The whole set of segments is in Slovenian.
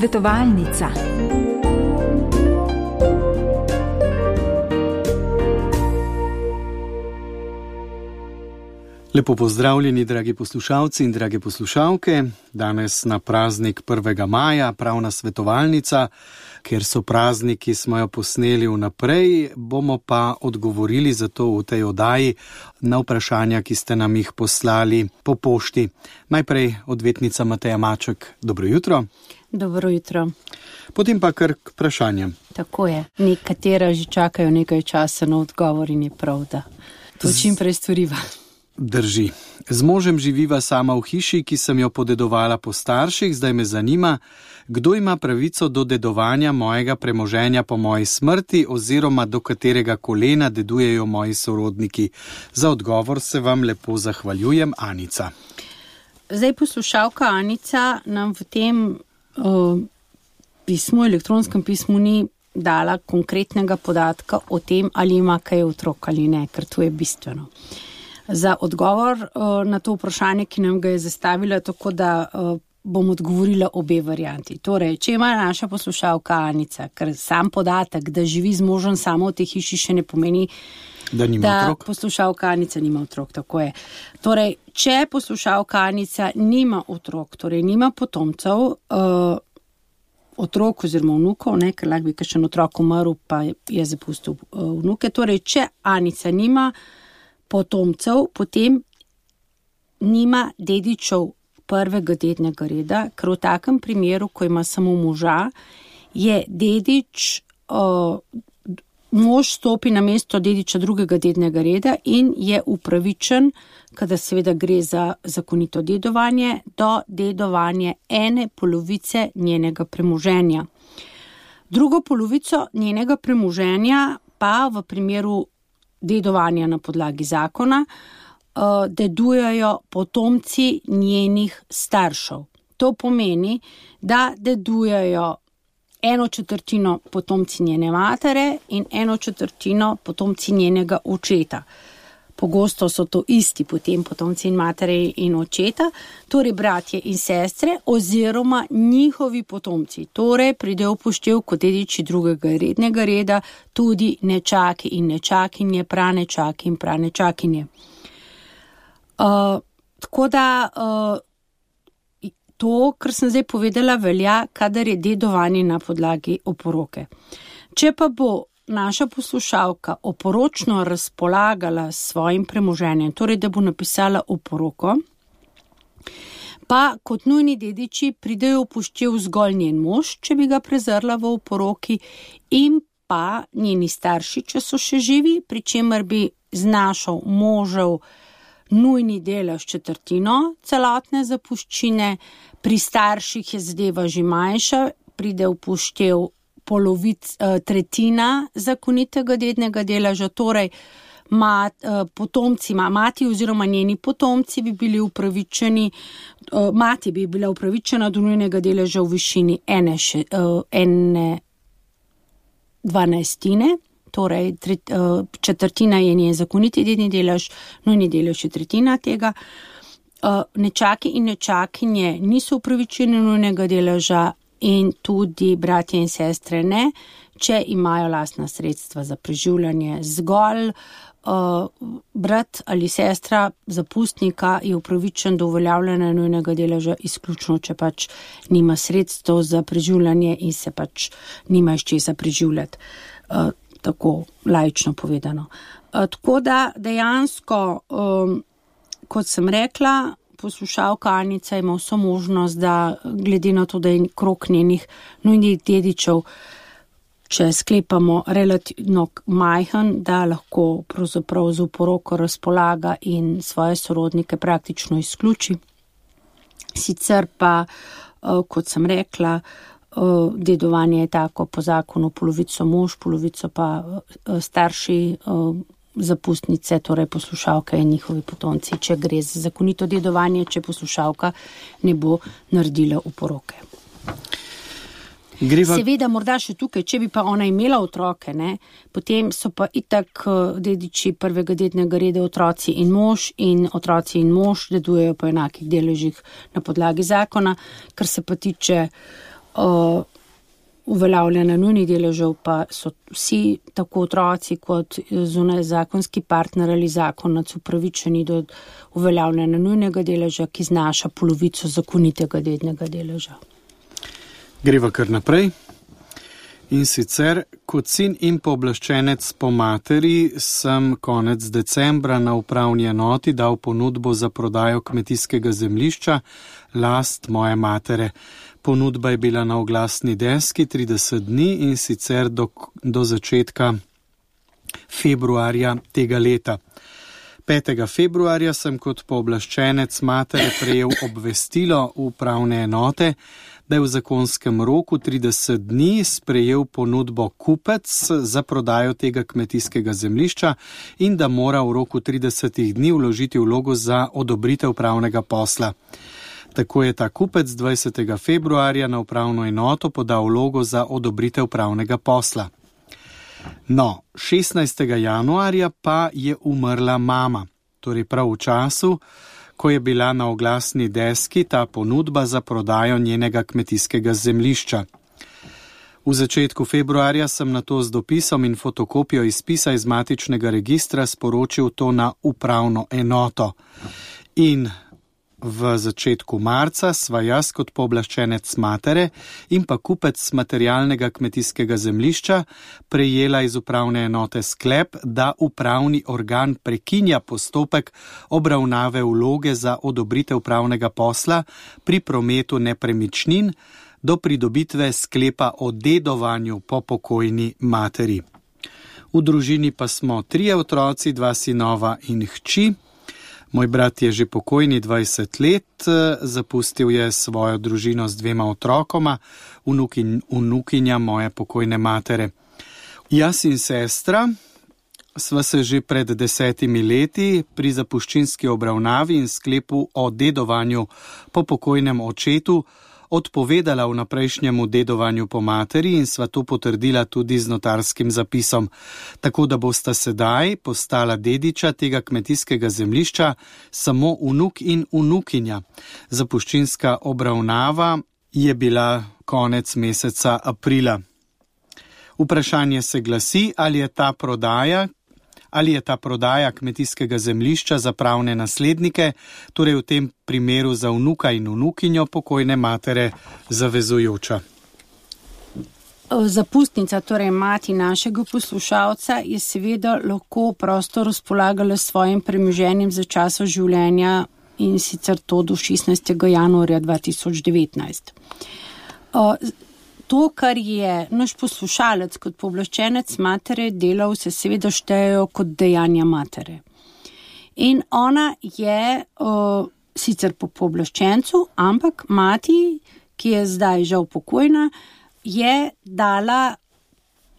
Svetovalnica. Lepo pozdravljeni, dragi poslušalci in drage poslušalke. Danes na praznik 1. maja, pravna svetovalnica. Ker so prazniki, smo jo posneli vnaprej, bomo pa odgovorili zato v tej oddaji na vprašanja, ki ste nam jih poslali po pošti. Najprej odvetnica Mateja Maček. Dobro jutro. Dobro jutro. Potem pa kar k vprašanjem. Tako je. Nekatera že čakajo nekaj časa na odgovor in je prav, da to čim prej storiva. Drži. Z možem živiva sama v hiši, ki sem jo podedovala po starših. Zdaj me zanima, kdo ima pravico do dedovanja mojega premoženja po moji smrti oziroma do katerega kolena dedujejo moji sorodniki. Za odgovor se vam lepo zahvaljujem, Anica. Zdaj poslušalka Anica nam v tem pismu, elektronskem pismu ni dala konkretnega podatka o tem, ali ima kaj otrok ali ne, ker to je bistveno. Za odgovor na to vprašanje, ki nam ga je zastavila, tako da bom odgovorila obe varianti. Torej, če ima naša poslušalka Anica, ker sam podatek, da živi z možem samo v tej hiši, še ne pomeni, da poslušalka Anica nima otrok, tako je. Torej, če poslušalka Anica nima otrok, torej nima potomcev, otrok oziroma vnukov, ker lahko bi kakšen otrok umrl, pa je zapustil vnuke. Torej, če Anica nima potomcev, potem nima dedičev prvega dednega reda, ker v takem primeru, ko ima samo moža, je dedič, mož stopi na mesto dediča drugega dednega reda in je upravičen, kada seveda gre za zakonito dedovanje, do dedovanja ene polovice njenega premoženja. Drugo polovico njenega premoženja pa v primeru dedovanja na podlagi zakona dedujejo potomci njenih staršev. To pomeni, da dedujejo 1/4 potomci njene matere in 1/4 potomci njenega očeta. Pogosto so to isti potem potomci in matere in očeta, torej bratje in sestre oziroma njihovi potomci. Torej pride v poštev kot dediči drugega rednega reda tudi nečaki in nečakinje, pranečaki in pranečakinje. Tako da to, kar sem zdaj povedala, velja, kadar je dedovanje na podlagi oporoke. Če pa bo naša poslušalka oporočno razpolagala s svojim premoženjem, torej da bo napisala oporoko, pa kot nujni dediči pridejo v poštev zgolj njen mož, če bi ga prezrla v oporoki, in pa njeni starši, če so še živi, pri čemer bi znašal možev nujni delež 1/4 celotne zapuščine, pri starših je zadeva že manjša, pride v poštev tretjina zakonitega dednega deleža, torej potomci, mati oziroma njeni potomci bi bili upravičeni, mati bi bila upravičena do nujnega deleža v višini 1/12, torej 1/4 je njen zakoniti dedni delež, nujni delež je tretjina tega. Nečaki in nečakinje niso upravičeni nujnega deleža in tudi bratje in sestre ne, če imajo lastna sredstva za preživljanje. Zgolj brat ali sestra zapustnika je upravičen do uveljavljanja nujnega deleža izključno, če pač nima sredstev za preživljanje in se pač nima iz česa preživljati. Tako laično povedano. Tako da dejansko, kot sem rekla, poslušalka Anica ima vso možnost, da glede na to, da je krog njenih nujnih dedičev, če sklepamo relativno majhen, da lahko pravzaprav z oporoko razpolaga in svoje sorodnike praktično izključi. Sicer pa, kot sem rekla, dedovanje je tako po zakonu, polovico mož, polovico pa starši zapustnice, torej poslušalka in njihovi potomci, če gre za zakonito dedovanje, če poslušalka ne bo naredila oporoke. Seveda, morda še tukaj, če bi pa ona imela otroke, potem so pa itak dediči prvega dednega reda otroci in mož dedujejo po enakih deležih na podlagi zakona. Kar se pa tiče uveljavljanja nujnih deležev pa so vsi, tako otroci kot zunaj zakonski partner ali zakonac, upravičeni do uveljavljanja nujnega deleža, ki znaša polovico zakonitega dednega deleža. Greva kar naprej. In sicer, kot sin in pooblaščenec po materi sem konec decembra na upravni enoti dal ponudbo za prodajo kmetijskega zemljišča, last moje matere. Ponudba je bila na oglasni deski 30 dni in sicer do začetka februarja tega leta. 5. februarja sem kot pooblaščenec matere prejel obvestilo upravne enote, da je v zakonskem roku 30 dni sprejel ponudbo kupec za prodajo tega kmetijskega zemljišča in da mora v roku 30 dni vložiti vlogo za odobritev pravnega posla. Tako je ta kupec 20. februarja na upravno enoto podal vlogo za odobritev pravnega posla. No, 16. januarja pa je umrla mama, torej prav v času, ko je bila na oglasni deski ta ponudba za prodajo njenega kmetijskega zemljišča. V začetku februarja sem nato z dopisom in fotokopijo izpisa iz matičnega registra sporočil to na upravno enoto. In v začetku marca sva jaz kot pooblaščenec matere in pa kupec materialnega kmetijskega zemljišča prejela iz upravne enote sklep, da upravni organ prekinja postopek obravnave vloge za odobritev pravnega posla pri prometu nepremičnin do pridobitve sklepa o dedovanju po pokojni materi. V družini pa smo 3 otroci, 2 sinova in hči. Moj brat je že pokojni 20 let, zapustil je svojo družino z 2 otrokoma, vnukinja moje pokojne matere. Jaz in sestra sva se že pred 10 leti pri zapuščinski obravnavi in sklepu o dedovanju po pokojnem očetu odpovedala vnaprejšnjemu dedovanju po materi in sva to potrdila tudi z notarskim zapisom, tako da bosta sedaj postala dediča tega kmetijskega zemljišča samo vnuk in vnukinja. Zapuščinska obravnava je bila konec meseca aprila. Vprašanje se glasi, ali je ta prodaja kmetijskega zemljišča za pravne naslednike, torej v tem primeru za vnuka in vnukinjo pokojne matere, zavezujoča. Zapustnica, torej mati našega poslušalca, je seveda lahko prosto razpolagala s svojim premoženjem za časa življenja in sicer to do 16. januarja 2019. To, kar je naš poslušalec kot pooblaščenec matere delal, se seveda štejejo kot dejanja matere. In ona je sicer po pooblaščencu, ampak mati, ki je zdaj žal pokojna, je dala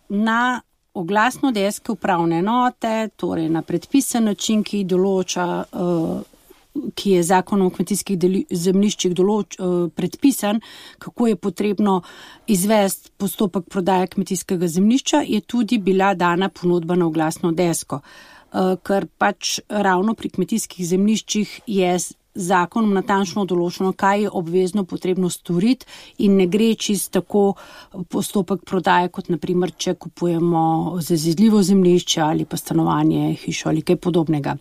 na oglasno desko upravne enote, torej na predpisan način, ki določa, ki je zakonom o kmetijskih zemljiščih predpisan, kako je potrebno izvesti postopek prodaje kmetijskega zemljišča, je tudi bila dana ponudba na oglasno desko. Ker pač ravno pri kmetijskih zemljiščih je zakonom natančno določeno, kaj je obvezno potrebno storiti in ne gre čisto tako postopek prodaje, kot naprimer, če kupujemo zazidljivo zemljišče ali pa stanovanje, hišo ali kaj podobnega.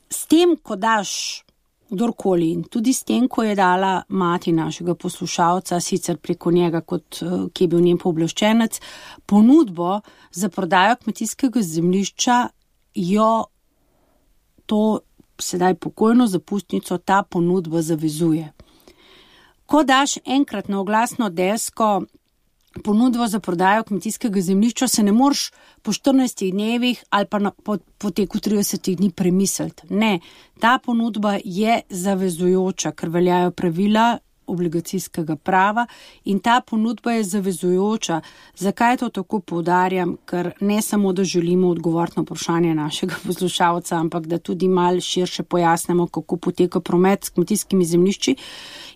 S tem, ko daš kdorkoli in tudi s tem, ko je dala mati našega poslušalca, sicer preko njega, kot ki je bil njen pooblaščenec, ponudbo za prodajo kmetijskega zemljišča, jo to sedaj pokojno zapustnico ta ponudba zavezuje. Ko daš enkrat na oglasno desko ponudbo za prodajo kmetijskega zemljišča, se ne moreš po 14 dnevih ali pa po teku 30 dni premisliti. Ne, ta ponudba je zavezujoča, ker veljajo pravila obligacijskega prava in ta ponudba je zavezujoča. Zakaj to tako poudarjam? Ker ne samo, da želimo odgovoriti na vprašanje našega poslušalca, ampak da tudi malo širše pojasnimo, kako poteka promet s kmetijskimi zemljišči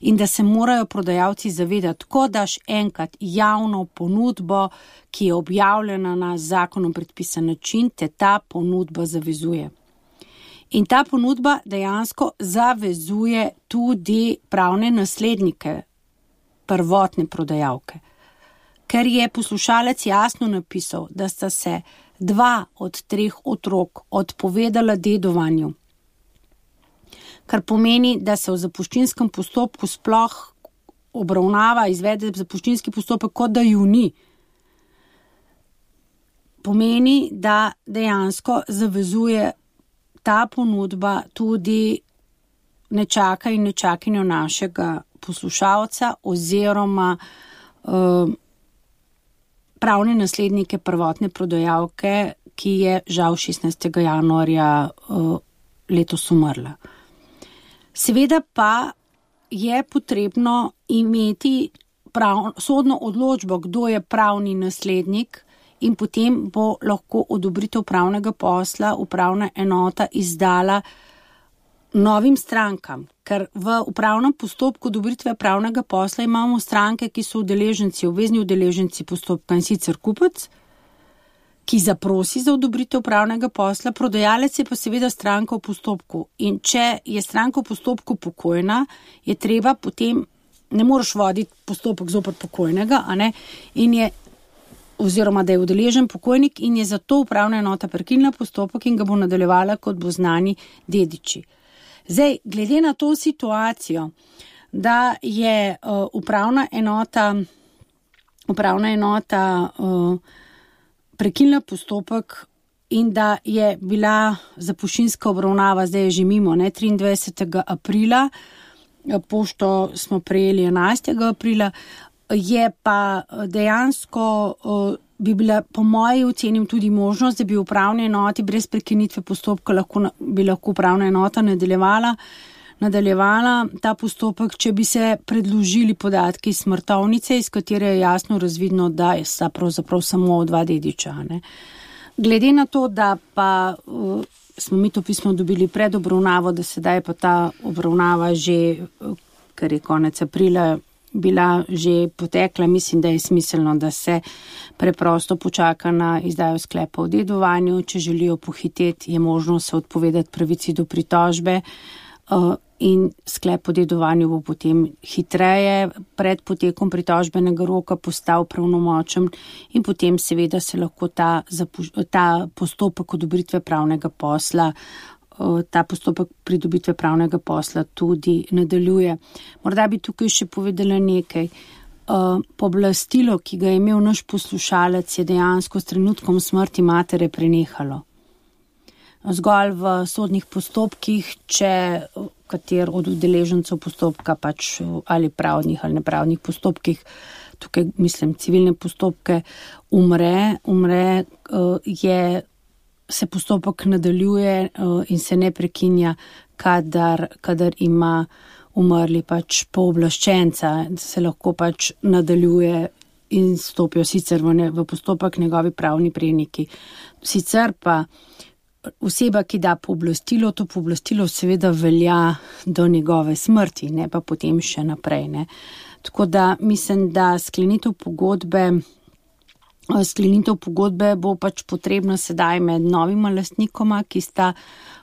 in da se morajo prodajalci zavedati, ko daš enkrat javno ponudbo, ki je objavljena na zakonom predpisan način, te ta ponudba zavezuje. In ta ponudba dejansko zavezuje tudi pravne naslednike prvotne prodajalke. Ker je poslušalec jasno napisal, da sta se 2 od 3 otrok odpovedala dedovanju, kar pomeni, da se v zapuščinskem postopku sploh obravnava, izvede zapuščinski postopek, kot da ju ni. Pomeni, da dejansko zavezuje ta ponudba tudi nečaka in nečakinjo našega poslušalca oziroma pravne naslednike prvotne prodajalke, ki je žal 16. januarja letos umrla. Seveda pa je potrebno imeti sodno odločbo, kdo je pravni naslednik, in potem bo lahko odobritev pravnega posla upravna enota izdala novim strankam, ker v upravnem postopku odobritve pravnega posla imamo stranke, ki so udeleženci, obvezni udeleženci postopka, in sicer kupec, ki zaprosi za odobritev pravnega posla, prodajalec je pa seveda stranka v postopku. In če je stranka v postopku pokojna, je treba potem, ne moreš voditi postopek zoper pokojnega, a ne, in je oziroma da je udeležen pokojnik, in je zato upravna enota prekinila postopek in ga bo nadaljevala, kot bo znani dediči. Zdaj, glede na to situacijo, da je upravna enota prekinila postopek in da je bila zapuščinska obravnava, zdaj je že mimo, 23. aprila, pošto smo prejeli 11. aprila, je pa dejansko bi bila po moji oceni tudi možnost, da bi upravne enoti brez prekinitve postopka bi lahko upravna enota nadaljevala ta postopek, če bi se predložili podatki iz smrtovnice, iz katere je jasno razvidno, da sta pravzaprav samo 2 dediča. Ne. Glede na to, da pa smo mi to pismo dobili pred obravnavo, da sedaj pa ta obravnava že, ker je konec aprila, bila že potekla, mislim, da je smiselno, da se preprosto počaka na izdajo sklepa o dedovanju. Če želijo pohiteti, je možno se odpovedati pravici do pritožbe in sklep o dedovanju bo potem hitreje pred potekom pritožbenega roka postal pravnomočen in potem seveda se lahko ta postopek odobritve pravnega posla, ta postopek pridobitve pravnega posla tudi nadaljuje. Morda bi tukaj še povedala nekaj. Pooblastilo, ki ga je imel naš poslušalec, je dejansko s trenutkom smrti matere prenehalo. Zgolj v sodnih postopkih, če kater od udeležencev postopka pač ali pravnih ali nepravnih postopkih, tukaj mislim civilne postopke, umre, se postopek nadaljuje in se ne prekinja, kadar ima umrli pač pooblaščenca, se lahko pač nadaljuje in stopijo sicer v postopek njegovi pravni preniki. Sicer pa oseba, ki da pooblastilo, to pooblastilo seveda velja do njegove smrti, ne pa potem še naprej. Ne. Tako da mislim, da sklenitev pogodbe bo pač potrebna sedaj med novima lastnikoma, ki sta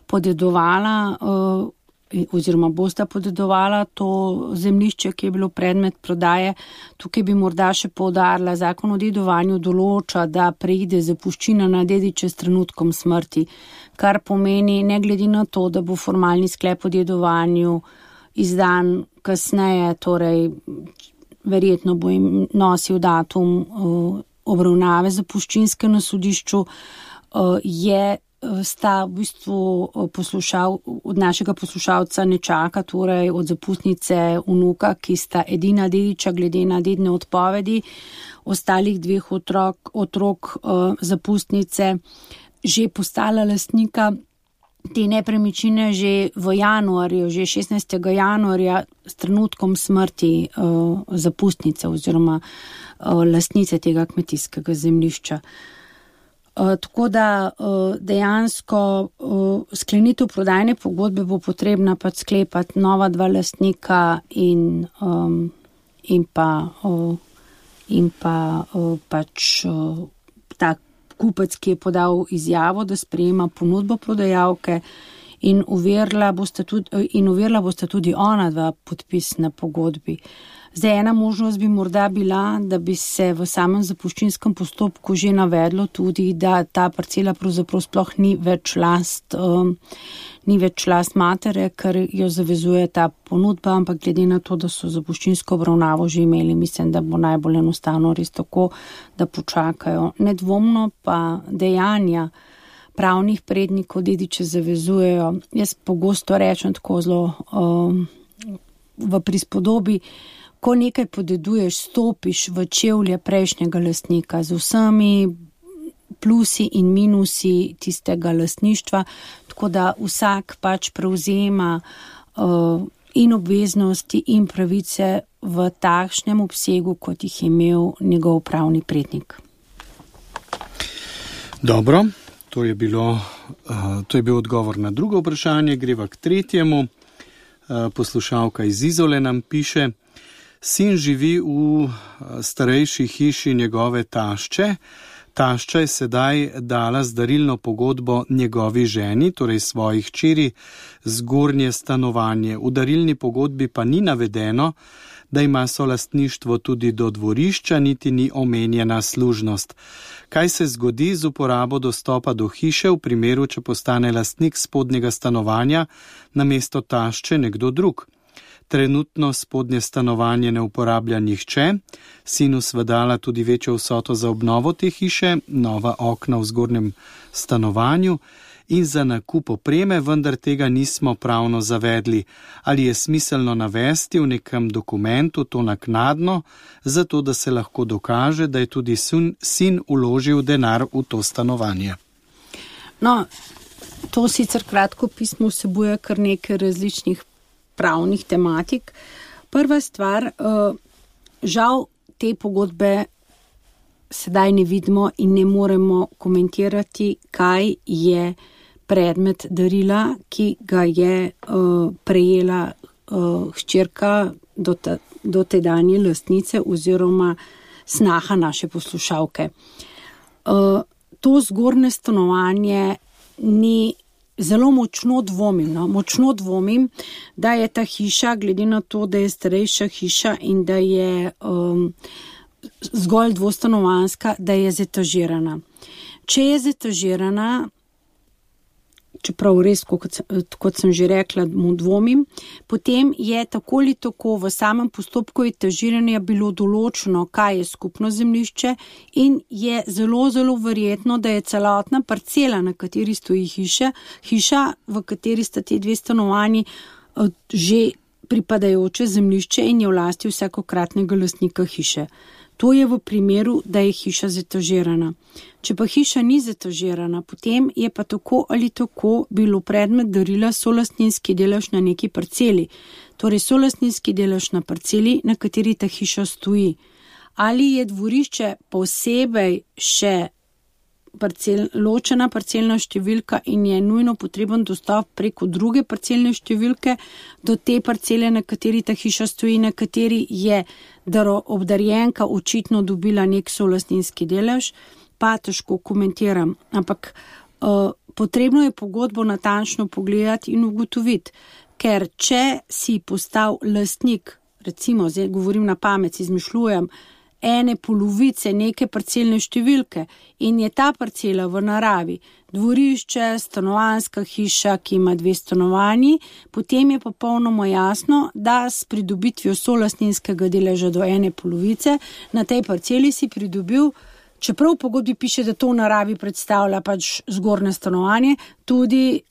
podedovala oziroma bosta podedovala to zemljišče, ki je bilo predmet prodaje. Tukaj bi morda še poudarila, zakon o dedovanju določa, da preide zapuščina na dediče s trenutkom smrti, kar pomeni, ne glede na to, da bo formalni sklep o dedovanju izdan kasneje, torej verjetno bo jim nosil datum obravnave zapuščinske na sodišču, sta v bistvu od našega poslušalca nečaka, torej od zapustnice vnuka, ki sta edina dediča glede na dedne odpovedi, ostalih 2 otrok zapustnice že postala lastnika te nepremičnine že v januarju, že 16. januarja s trenutkom smrti zapustnice oziroma lastnice tega kmetijskega zemljišča. Tako da dejansko sklenitev prodajne pogodbe bo potrebna pač sklepati nova 2 lastnika in pa pač ta kupec, ki je podal izjavo, da sprejema ponudbo prodajalke, in overila bosta tudi ona dva podpis na pogodbi. Zdaj, ena možnost bi morda bila, da bi se v samem zapuščinskem postopku že navedlo tudi, da ta parcela pravzaprav sploh ni več last matere, ker jo zavezuje ta ponudba, ampak glede na to, da so zapuščinsko obravnavo že imeli, mislim, da bo najbolj enostavno res tako, da počakajo. Nedvomno pa dejanja pravnih prednikov dediče zavezujejo. Jaz pogosto rečem tako zelo v prispodobi, ko nekaj podeduješ, stopiš v čevlje prejšnjega lastnika z vsemi plusi in minusi tistega lastništva, tako da vsak pač prevzema in obveznosti in pravice v takšnem obsegu, kot jih je imel njegov pravni prednik. Dobro, to je bil odgovor na drugo vprašanje, greva k tretjemu. Poslušalka iz Izole nam piše: sin živi v starejši hiši njegove tašče. Tašča je sedaj dala zdarilno pogodbo njegovi ženi, torej svoji hčeri, zgornje stanovanje. V darilni pogodbi pa ni navedeno, da ima solastništvo tudi do dvorišča, niti ni omenjena služnost. Kaj se zgodi z uporabo dostopa do hiše v primeru, če postane lastnik spodnjega stanovanja namesto tašče nekdo drug? Trenutno spodnje stanovanje ne uporablja nihče, sinu sva dala tudi večjo vsoto za obnovo te hiše, nova okna v zgornjem stanovanju in za nakup opreme, vendar tega nismo pravno zavedli. Ali je smiselno navesti v nekem dokumentu to naknadno, zato da se lahko dokaže, da je tudi sin vložil denar v to stanovanje? No, to sicer kratko pismo vsebuje kar nekaj različnih pravnih tematik. Prva stvar, žal te pogodbe sedaj ne vidimo in ne moremo komentirati, kaj je predmet darila, ki ga je prejela hčerka do tedanje lastnice oziroma snaha naše poslušalke. To zgornje stanovanje ni zelo močno dvomim, da je ta hiša, glede na to, da je starejša hiša in da je zgolj dvostanovanjska, da je zetažirana. Če je zetažirana, čeprav res, kot sem že rekla, mu dvomim, potem je tako ali tako v samem postopku etažiranja bilo določeno, kaj je skupno zemljišče in je zelo, zelo verjetno, da je celotna parcela, na kateri stoji hiša, v kateri sta te dve stanovanji, že pripadajoče zemljišče in je v lasti vsakokratnega lastnika hiše. To je v primeru, da je hiša zetažirana. Če pa hiša ni zetažirana, potem je pa tako ali tako bilo predmet darila solastninski delež na neki parceli. Torej solastninski delež na parceli, na kateri ta hiša stoji. Ali je dvorišče posebej še ločena parcelna številka in je nujno potreben dostop preko druge parcelne številke do te parcele, na kateri ta hiša stoji, na kateri je obdarjenka očitno dobila nek solastninski delež, pa težko komentiram. Ampak potrebno je pogodbo natančno pogledati in ugotoviti, ker če si postal lastnik, recimo, zdaj govorim na pamet, izmišljujem, ene polovice neke parcelne številke in je ta parcela v naravi dvorišče, stanovanjska hiša, ki ima dve stanovanji, potem je popolnoma jasno, da s pridobitvijo solastninskega deleža do ene polovice na tej parceli si pridobil, čeprav v pogodbi piše, da to v naravi predstavlja pač zgornje stanovanje, tudi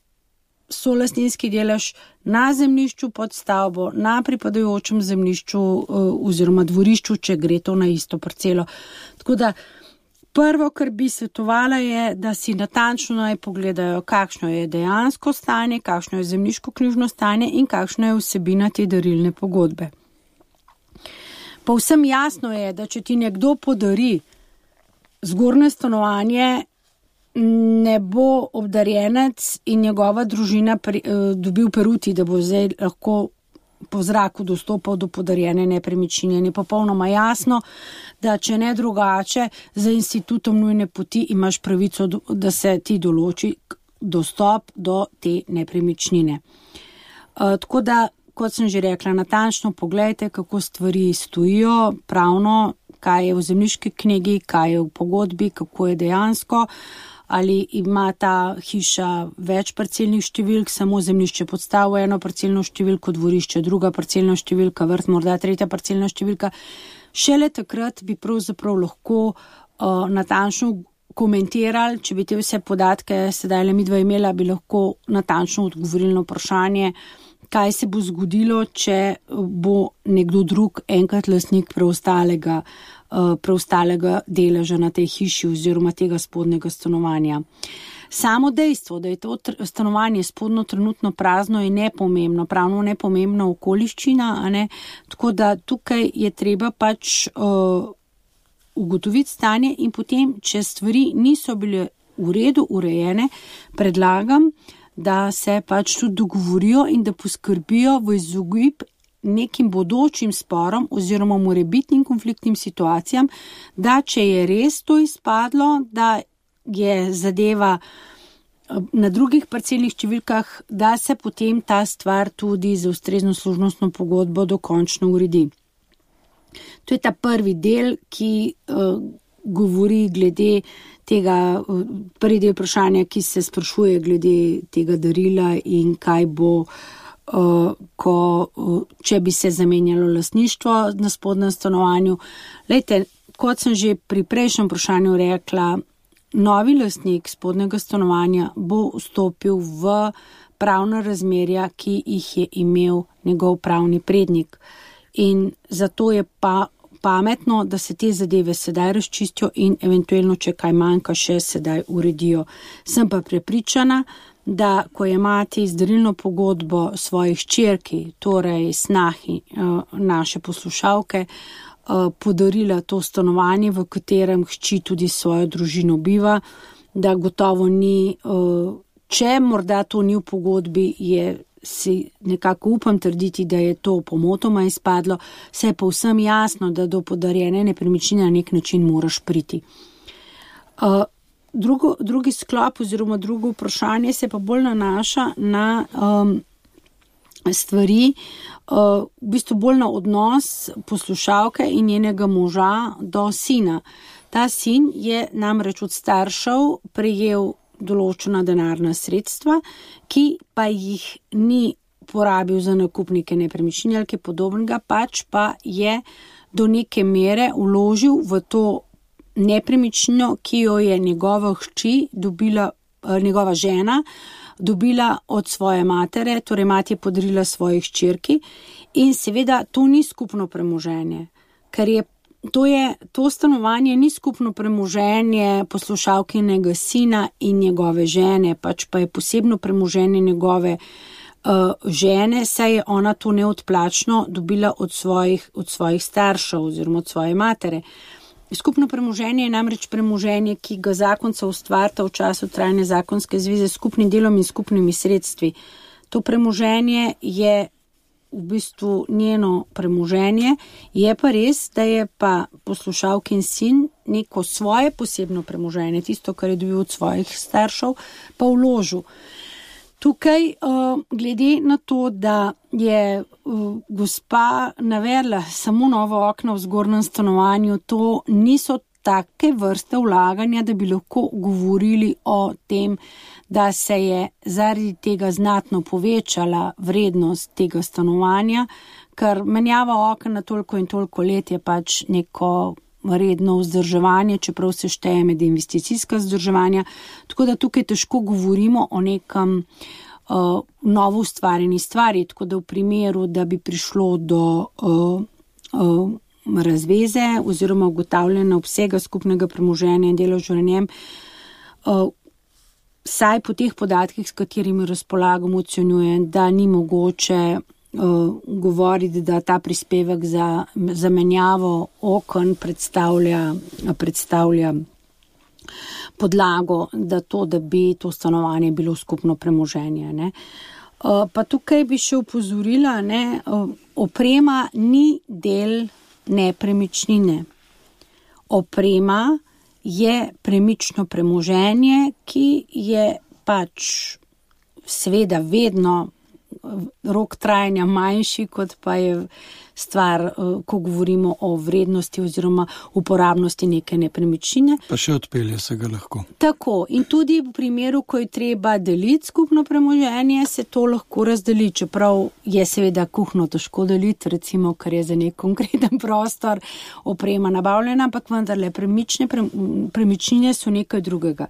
solastninski delež na zemljišču pod stavbo, na pripadajočem zemljišču oziroma dvorišču, če gre to na isto parcelo. Tako da prvo, kar bi svetovala, je, da si natančno naj pogledajo, kakšno je dejansko stanje, kakšno je zemljiško-knjižno stanje in kakšna je vsebina te darilne pogodbe. Povsem jasno je, da če ti nekdo podari zgornje stanovanje, ne bo obdarjenec in njegova družina dobil peruti, da bo zdaj lahko po zraku dostopal do podarjene nepremičnine. Je popolnoma jasno, da če ne drugače, za institutom nujne poti imaš pravico, da se ti določi, dostop do te nepremičnine. Tako da, kot sem že rekla, natančno pogledajte, kako stvari stojijo pravno, kaj je v zemljiški knjigi, kaj je v pogodbi, kako je dejansko, ali ima ta hiša več parcelnih številk, samo zemljišče podstavo eno parcelno številko, dvorišče druga parcelna številka, vrt morda tretja parcelna številka. Šele takrat bi pravzaprav lahko natančno komentirali, če bi te vse podatke sedaj le midva imela, bi lahko natančno odgovorili na vprašanje, kaj se bo zgodilo, če bo nekdo drug enkrat lastnik preostalega deleža na tej hiši oziroma tega spodnjega stanovanja. Samo dejstvo, da je to stanovanje spodnjo trenutno prazno, je nepomembno, pravno nepomembna okoliščina, a ne? Tako da tukaj je treba pač ugotoviti stanje in potem, če stvari niso bile v redu urejene, predlagam, da se pač tudi dogovorijo in da poskrbijo v izogib nekim bodočim sporom oziroma morebitnim konfliktnim situacijam, da če je res to izpadlo, da je zadeva na drugih parcelnih številkah, da se potem ta stvar tudi za ustrezno služnostno pogodbo dokončno uredi. To je ta prvi del, ki govori glede tega, prvi del vprašanja, ki se sprašuje glede tega darila in kaj bo, če bi se zamenjalo lastništvo na spodnjem stanovanju. Lejte, kot sem že pri prejšnjem vprašanju rekla, novi lastnik spodnjega stanovanja bo vstopil v pravna razmerja, ki jih je imel njegov pravni prednik. In zato je pa pametno, da se te zadeve sedaj razčistijo in eventualno, če kaj manjka, še sedaj uredijo. Sem pa prepričana, da ko je mati izdarilno pogodbo svojih hčerki, torej snahi naše poslušalke, podarila to stanovanje, v katerem hči tudi svojo družino biva, da gotovo ni, če morda to ni v pogodbi, si nekako upam trditi, da je to pomotoma izpadlo, se je povsem jasno, da do podarjene nepremičnine na nek način moraš priti. Drugi sklop oziroma drugo vprašanje se pa bolj nanaša na stvari, v bistvu bolj na odnos poslušalke in njenega moža do sina. Ta sin je namreč od staršev prejel določena denarna sredstva, ki pa jih ni porabil za nakup neke nepremičnine ali kaj podobnega, pač pa je do neke mere vložil v to nepremičnino, ki jo je njegova hči dobila, njegova žena dobila od svoje matere, torej mati je podarila svoji hčerki in seveda to ni skupno premoženje, ker je to stanovanje ni skupno premoženje poslušalkinega sina in njegove žene, pač pa je posebno premoženje njegove žene, saj je ona to neodplačno dobila od svojih staršev oziroma od svoje matere. Skupno premoženje je namreč premoženje, ki ga zakonca ustvarita v času trajne zakonske zveze s skupnim delom in skupnimi sredstvi. To premoženje je v bistvu njeno premoženje, je pa res, da je pa poslušalkin sin neko svoje posebno premoženje, tisto, kar je dobil od svojih staršev, pa vložil. Tukaj, glede na to, da je gospa navedla samo novo okno v zgornjem stanovanju, to niso take vrste vlaganja, da bi lahko govorili o tem, da se je zaradi tega znatno povečala vrednost tega stanovanja, ker menjava okna na toliko in toliko let je pač neko redno vzdrževanje, čeprav se šteje med investicijska vzdrževanja, tako da tukaj težko govorimo o nekem novo ustvarjeni stvari, tako da v primeru, da bi prišlo do razveze oziroma ugotavljanja obsega skupnega premoženja in deleža na njem, saj po teh podatkih, s katerimi razpolagamo, ocenjujem, da ni mogoče govoriti, da ta prispevek za zamenjavo okn predstavlja podlago, da bi to stanovanje bilo skupno premoženje. Ne. Pa tukaj bi še opozorila, oprema ni del nepremičnine. Oprema je premično premoženje, ki je pač seveda vedno rok trajanja manjši, kot pa je stvar, ko govorimo o vrednosti oziroma uporabnosti neke nepremičnine. Pa še odpelje se ga lahko. Tako, in tudi v primeru, ko je treba deliti skupno premoženje, se to lahko razdeli, čeprav je seveda kuhno težko deliti, recimo, ker je za nek konkreten prostor oprema nabavljena, ampak vendarle premičnine so nekaj drugega.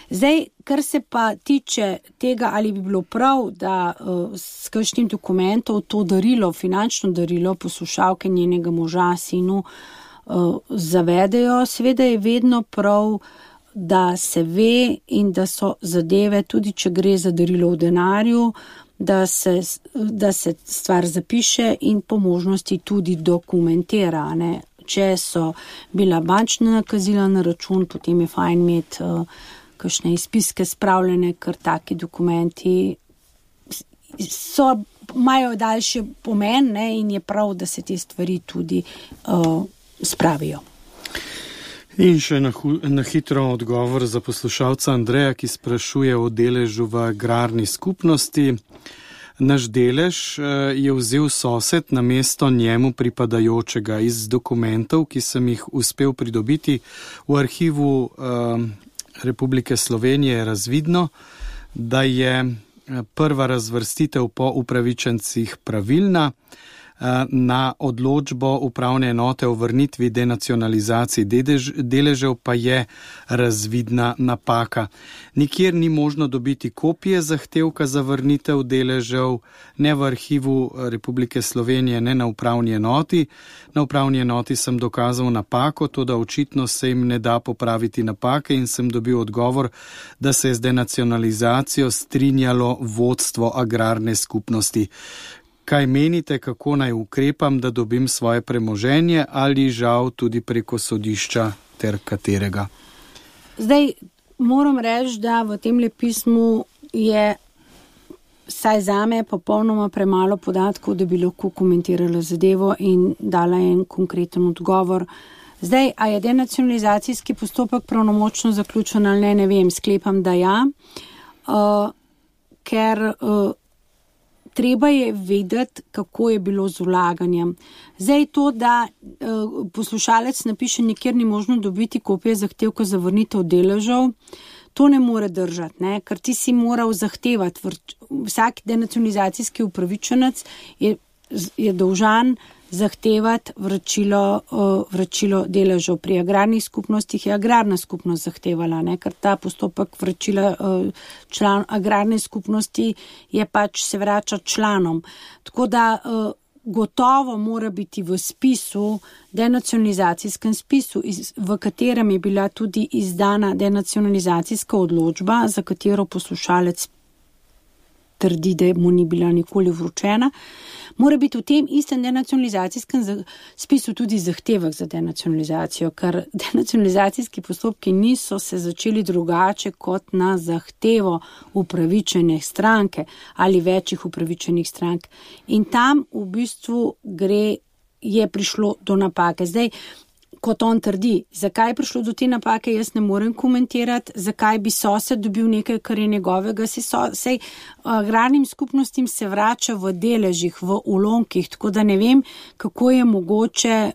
Zdaj, kar se pa tiče tega, ali bi bilo prav, da s kakšnim dokumentom to darilo, finančno darilo poslušalke njenega moža, sinu zavedejo, seveda je vedno prav, da se ve in da so zadeve, tudi če gre za darilo v denarju, da se stvar zapiše in po možnosti tudi dokumentira, ne. Če so bila bančna nakazila na račun, potem je fajn imeti kakšne izpiske spravljene, ker taki dokumenti imajo daljši pomen, ne, in je prav, da se te stvari tudi spravijo. In še na hitro odgovor za poslušalca Andreja, ki sprašuje o deležu v agrarni skupnosti. Naš delež je vzel sosed namesto njemu pripadajočega. Iz dokumentov, ki sem jih uspel pridobiti v arhivu Republike Slovenije, je razvidno, da je prva razvrstitev po upravičencih pravilna, na odločbo upravne enote o vrnitvi denacionalizaciji deležev pa je razvidna napaka. Nikjer ni možno dobiti kopije zahtevka za vrnitev deležev, ne v arhivu Republike Slovenije, ne na upravni enoti. Na upravni enoti sem dokazal napako, toda očitno se jim ne da popraviti napake in sem dobil odgovor, da se je z denacionalizacijo strinjalo vodstvo agrarne skupnosti. Kaj menite, kako naj ukrepam, da dobim svoje premoženje ali žal tudi preko sodišča ter katerega? Zdaj, moram reči, da v tem pismu je vsaj zame popolnoma premalo podatkov, da bi lahko komentirala zadevo in dala en konkreten odgovor. Zdaj, a je denacionalizacijski postopek pravnomočno zaključen ali ne vem, sklepam, da ja, ker treba je vedeti, kako je bilo z vlaganjem. Zdaj to, da poslušalec napiše, nikjer ni možno dobiti kopije zahtevka za vrnitev deležev, to ne more držati, ne? Ker ti si moral zahtevati. Vsak denacionalizacijski upravičenec je dolžan zahtevati vračilo deležev. Pri agrarnih skupnostih je agrarna skupnost zahtevala, ne? Ker ta postopek vračila član agrarne skupnosti je pač se vrača članom. Tako da gotovo mora biti v spisu, denacionalizacijskem spisu, v katerem je bila tudi izdana denacionalizacijska odločba, za katero poslušalec trdi, da mu ni bila nikoli vročena, mora biti v tem istem denacionalizacijskem spisu tudi zahtevek za denacionalizacijo, ker denacionalizacijski postopki niso se začeli drugače kot na zahtevo upravičene stranke ali večjih upravičenih strank. In tam v bistvu je prišlo do napake. Zdaj, kot on trdi, zakaj je prišlo do te napake, jaz ne morem komentirati, zakaj bi sosed dobil nekaj, kar je njegovega, sej agrarnim skupnostim se vrača v deležih, v ulonkih, tako da ne vem, kako je mogoče,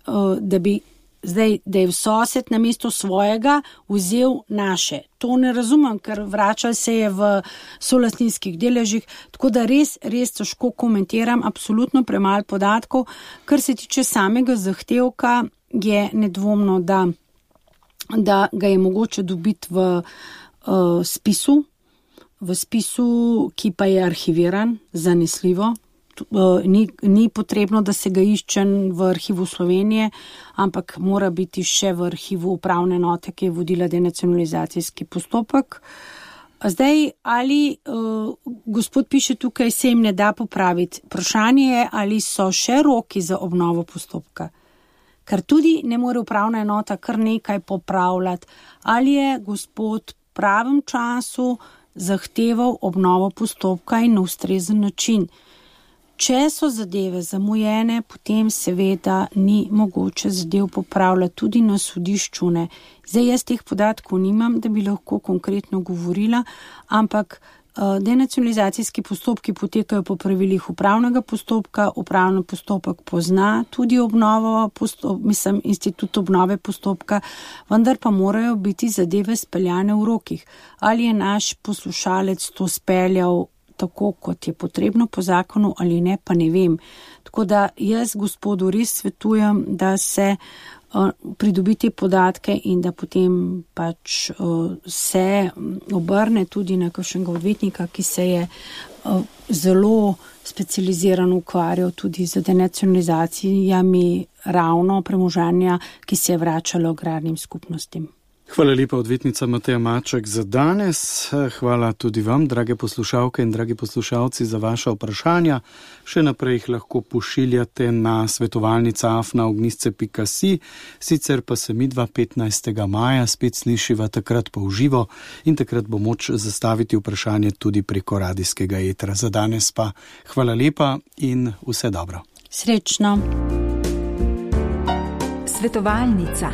da je sosed namesto svojega vzel naše. To ne razumem, ker vračal se je v solastninskih deležih, tako da res težko komentiram, absolutno premalo podatkov. Kar se tiče samega zahtevka, je nedvomno, da ga je mogoče dobiti v spisu, ki pa je arhiviran, zanesljivo. Ni potrebno, da se ga išče v arhivu Slovenije, ampak mora biti še v arhivu upravne enote, ki je vodila denacionalizacijski postopek. Zdaj, ali gospod piše tukaj, se jim ne da popraviti. Vprašanje je, ali so še roki za obnovo postopka. Ker tudi ne more upravna enota kar nekaj popravljati. Ali je gospod v pravem času zahteval obnovo postopka in na ustrezen način? Če so zadeve zamujene, potem seveda ni mogoče zadev popravljati tudi na sodišču. Ne. Zdaj jaz teh podatkov nimam, da bi lahko konkretno govorila, ampak denacionalizacijski postopki potekajo po pravilih upravnega postopka, upravni postopek pozna tudi institut obnove postopka, vendar pa morajo biti zadeve speljane v rokih. Ali je naš poslušalec to speljal tako, kot je potrebno po zakonu ali ne, pa ne vem. Tako da jaz gospodu res svetujem, da se pridobi te podatke in da potem pač se obrne tudi na kakšnega odvetnika, ki se je zelo specializiran ukvarjal tudi z denacionalizacijami ravno premoženja, ki se je vračalo agrarnim skupnostim. Hvala lepa, odvetnica Mateja Maček, za danes. Hvala tudi vam, drage poslušalke in dragi poslušalci, za vaša vprašanja. Še naprej jih lahko pošiljate na svetovalnica@ognjisce.si. Sicer pa se midva 15. maja spet slišiva takrat pa v živo in takrat bo moč zastaviti vprašanje tudi preko radijskega etra. Za danes pa hvala lepa in vse dobro. Srečno. Svetovalnica.